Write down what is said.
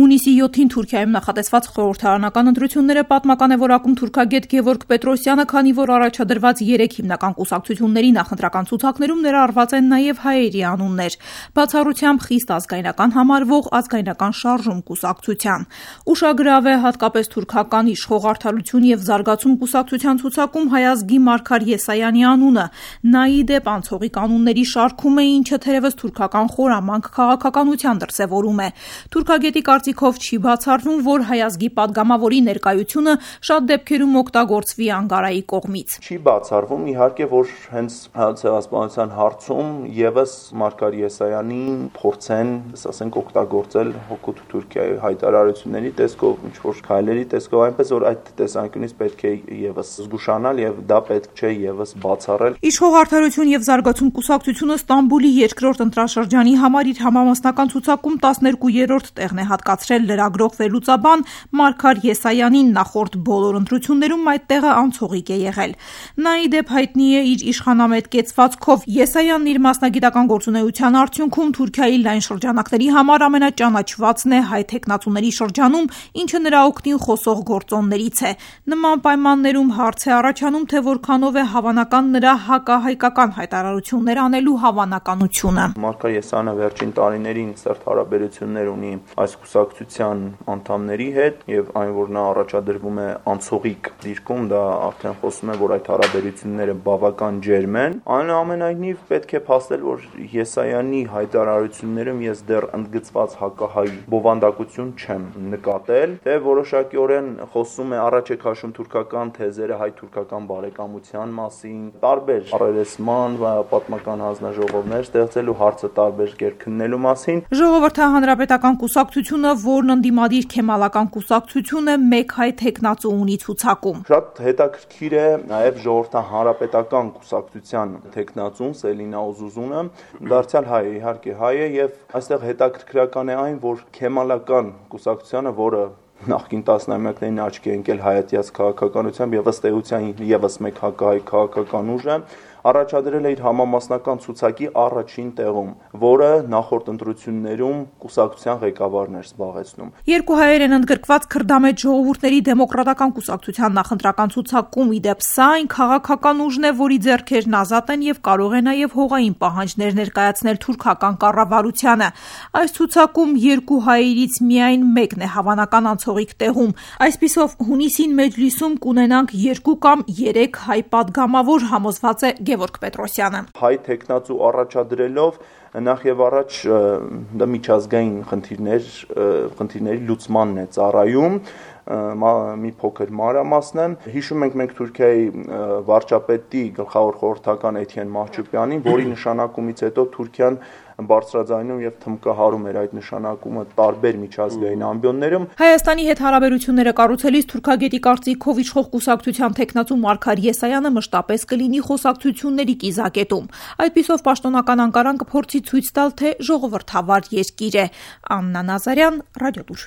Հունիսի 7-ին Թուրքիայում նախատեսված խորհրդարանական ընտրությունները պատմական է որակում թուրքագետ Գևորգ Պետրոսյանը, քանի որ առաջադրված 3 հիմնական կուսակցությունների նախընտրական ցուցակներում ներառված են նաև հայերի անուններ, բացառությամբ խիստ ազգայնական համարվող ազգայնական շարժում կուսակցության։ Ուշագրավ է հատկապես թուրքական իշխող Արդարություն եւ զարգացում կուսակցության ցուցակում հայ ազգի Մարգար Եսայանի անունը։ Նա ի դեպ անցողիկ կանոնների շարքում է, ինչը թերևս թուրքական խորամանկ քաղաքականության դրսևորում է։ Թուրքագետի կարծիքով չի բացառվում, որ հայ ազգի падգամավորի ներկայությունը շատ դեպքերում օգտագործվի Անկարայի կողմից։ Չի բացառվում, իհարկե, որ հենց ցեղասպանության հարցում եւս Մարգար Եսայանին փորձեն, ասենք, օգտագործել հօգուտ Թուրքիայի հայտարարությունների տեսքով, ինչ որ քայլերի տեսքով, այնպես որ այդ տեսանկյունից պետք է եւս զգուշանալ եւ դա պետք չէ եւս բացառել։ Իշխող Արդարություն եւ զարգացում կուսակցությունը Ստամբուլի 2-րդ ընտրաշրջանի համար իր համամասնական ցուցակում 12-րդ տեղն է հատկացրել լրագրող վերլուծաբան Մարգար Եսայանին, նախորդ բոլոր ընտրություններում այդ տեղը անցողիկ է եղել։ Նա ի դեպ հայտնի է իր իշխանամետ կեցվածքով։ Եսայանն իր մասնագիտական գործունեության արդյունքում Թուրքիայի լայն շրջանակների համար ամենաճանաչվածն է հայ թեկնածուների շրջանում, ինչը նրա օգտին խոսող գործոններից է։ Նման պայմաններում հարց է առաջանում, թե որքանով է հավանական նրա հակահայկական հայտարարություններ անելու հավանականությունը։ Մարգար Եսայանը վերջին տարիներին սերտ հարաբերություններ ունի այս կուսակցության անդամների հետ եւ այն, որ նա առաջադրվում է անցողիկ դիրքում, դա արդեն խոսում է, որ այդ հարաբերությունները բավական ջերմ են։ Այնուամենայնիվ պետք է փաստել, որ Եսայանի հայտարարություններում ես դեռ ընդգծված հակահայ բովանդակություն չեմ նկատել, թե որոշակիորեն խոսում է, առաջ է քաշում թուրքական թեզերը հայ-թուրքական բարեկամության մասին, տարբեր առերեսման và պատմական հանձնաժողովներ ստեղծելու հարցը տարբեր կերպ քննելու մասին։ Ժողովրդահանրապետական կուսակցությունը, որն ընդդիմադիր քեմալական կուսակցություն է, մեկ հայ թեկնածու ունի ցուցակում։ Շատ հետաքրքիր է նաև ժողովրդահանրապետական կուսակցության թեկնածուն Սելինա Օզուզունը, դարձյալ հայ է, իհարկե հայ է, եւ այստեղ հետաքրքրական է այն, որ քեմալական կուսակցությանը, որը նախկին տասնամյակներին աչքի է ընկել հայատյաց քաղաքականությամբ եւ ըստ էության եւս մեկ հակահայ քաղաքական ուժ է, առաջադրել է իր համամասնական ցուցակի առաջին տեղում, որը նախորդ ընտրություններում կուսակցության ղեկավարն էր զբաղեցնում։ Երկու հայեր են ընդգրկված քրդամետ ժողովուրդների դեմոկրատական կուսակցության նախընտրական ցուցակում, ի դեպ սա այն քաղաքական ուժն է, որի ձեռքերն ազատ են եւ կարող է նաեւ հողային պահանջներ ներկայացնել թուրքական կառավարությանը։ Այս ցուցակում երկու հայերից միայն մեկն է հավանական անցողիկ տեղում։ Այսպիսով հունիսին մեջլիսում կունենանք 2 կամ 3 հայ падգամավոր, համոզված է Գևորգ Պետրոսյանը։ Հայ թեկնածու առաջադրելով նախ եւ առաջ դա միջազգային խնդիրների լուծմանն է ծառայում, մի փոքր մանրամասն է։ Հիշում ենք մենք Թուրքիայի վարչապետի գլխավոր խորհրդական Էթիեն Մահչուպյանին, որի նշանակումից հետո Թուրքիան բարձրաձայնում եւ թմկահարում էր այդ նշանակումը տարբեր միջազգային ամբիոններում։ Հայաստանի հետ հարաբերությունները կառուցելիս թուրքագետի կարծիքով իշխող կուսակցության թեկնածու Մարգար Եսայանը մշտապես կլինի խոսակցությունների կիզակետում։ Այդպիսով պաշտոնական Անկարան կփորձի ցույց տալ, թե ժողովրդավար երկիր է։ Աննա Նազարյան, Ռադիոլուր։